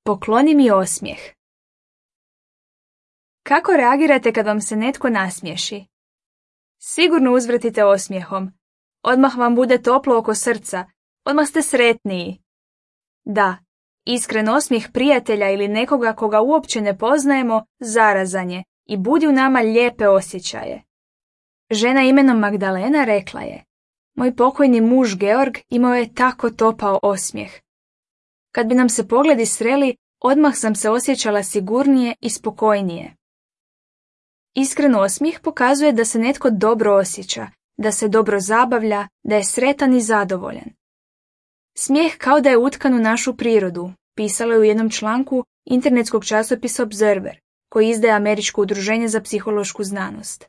Pokloni mi osmijeh. Kako reagirate kad vam se netko nasmiješi? Sigurno uzvratite osmijehom. Odmah vam bude toplo oko srca. Odmah ste sretniji. Da, iskren osmijeh prijatelja ili nekoga koga uopće ne poznajemo zarazan je i budi u nama lijepe osjećaje. Žena imenom Magdalena rekla je: moj pokojni muž Georg imao je tako topao osmijeh. Kad bi nam se pogledi sreli, odmah sam se osjećala sigurnije i spokojnije. Iskren osmijeh pokazuje da se netko dobro osjeća, da se dobro zabavlja, da je sretan i zadovoljan. Smijeh kao da je utkan u našu prirodu, pisalo je u jednom članku internetskog časopisa Observer, koji izdaje Američko udruženje za psihološku znanost.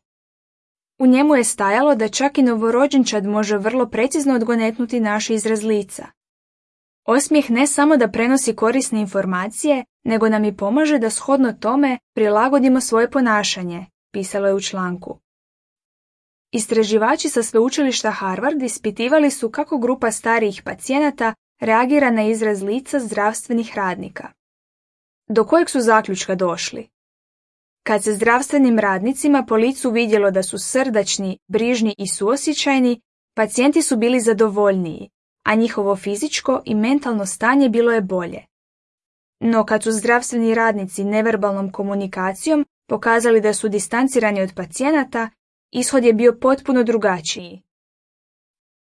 U njemu je stajalo da čak i novorođenčad može vrlo precizno odgonetnuti naš izraz lica. Osmijeh ne samo da prenosi korisne informacije, nego nam i pomaže da shodno tome prilagodimo svoje ponašanje, pisalo je u članku. Istraživači sa sveučilišta Harvard ispitivali su kako grupa starijih pacijenata reagira na izraz lica zdravstvenih radnika. Do kojeg su zaključka došli? Kad se zdravstvenim radnicima po licu vidjelo da su srdačni, brižni i suosjećajni, pacijenti su bili zadovoljniji, a njihovo fizičko i mentalno stanje bilo je bolje. No kad su zdravstveni radnici neverbalnom komunikacijom pokazali da su distancirani od pacijenata, ishod je bio potpuno drugačiji.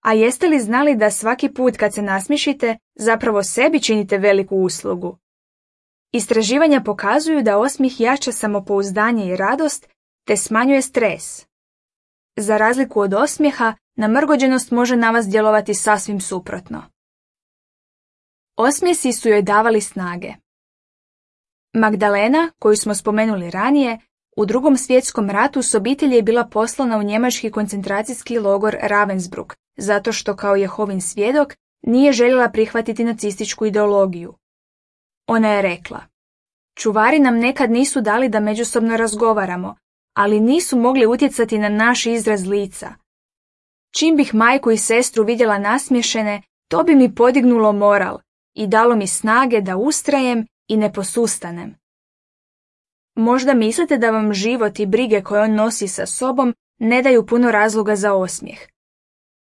A jeste li znali da svaki put kad se nasmiješite, zapravo sebi činite veliku uslugu? Istraživanja pokazuju da osmijeh jača samopouzdanje i radost, te smanjuje stres. Za razliku od osmijeha, namrgođenost može na vas djelovati sasvim suprotno. Osmijesi su joj davali snage. Magdalena, koju smo spomenuli ranije, u Drugom svjetskom ratu s obitelji je bila poslana u njemački koncentracijski logor Ravensbrück, zato što kao Jehovin svjedok nije željela prihvatiti nacističku ideologiju. Ona je rekla: čuvari nam nekad nisu dali da međusobno razgovaramo, ali nisu mogli utjecati na naš izraz lica. Čim bih majku i sestru vidjela nasmiješene, to bi mi podignulo moral i dalo mi snage da ustrajem i ne posustanem. Možda mislite da vam život i brige koje on nosi sa sobom ne daju puno razloga za osmijeh.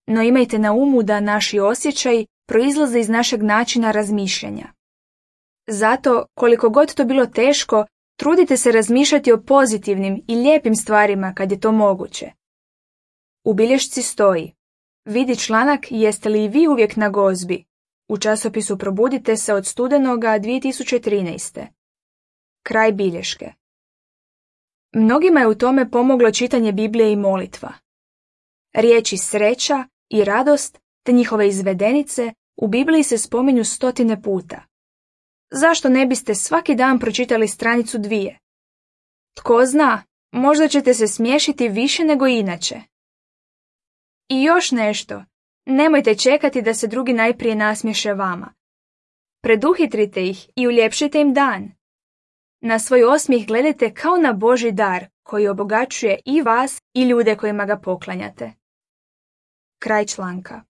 No imajte na umu da naši osjećaji proizlaze iz našeg načina razmišljanja. Zato, koliko god to bilo teško, trudite se razmišljati o pozitivnim i lijepim stvarima kad je to moguće. U bilješci stoji: vidi članak Jeste li i vi uvijek na gozbi? U časopisu Probudite se od studenoga 2013. Kraj bilješke. Mnogima je u tome pomoglo čitanje Biblije i molitva. Riječi sreća i radost te njihove izvedenice u Bibliji se spominju 100 puta. Zašto ne biste svaki dan pročitali stranicu 2? Tko zna, možda ćete se smiješiti više nego inače. I još nešto, nemojte čekati da se drugi najprije nasmiješe vama. Preduhitrite ih i uljepšite im dan. Na svoj osmijeh gledajte kao na Božji dar koji obogaćuje i vas i ljude kojima ga poklanjate. Kraj članka.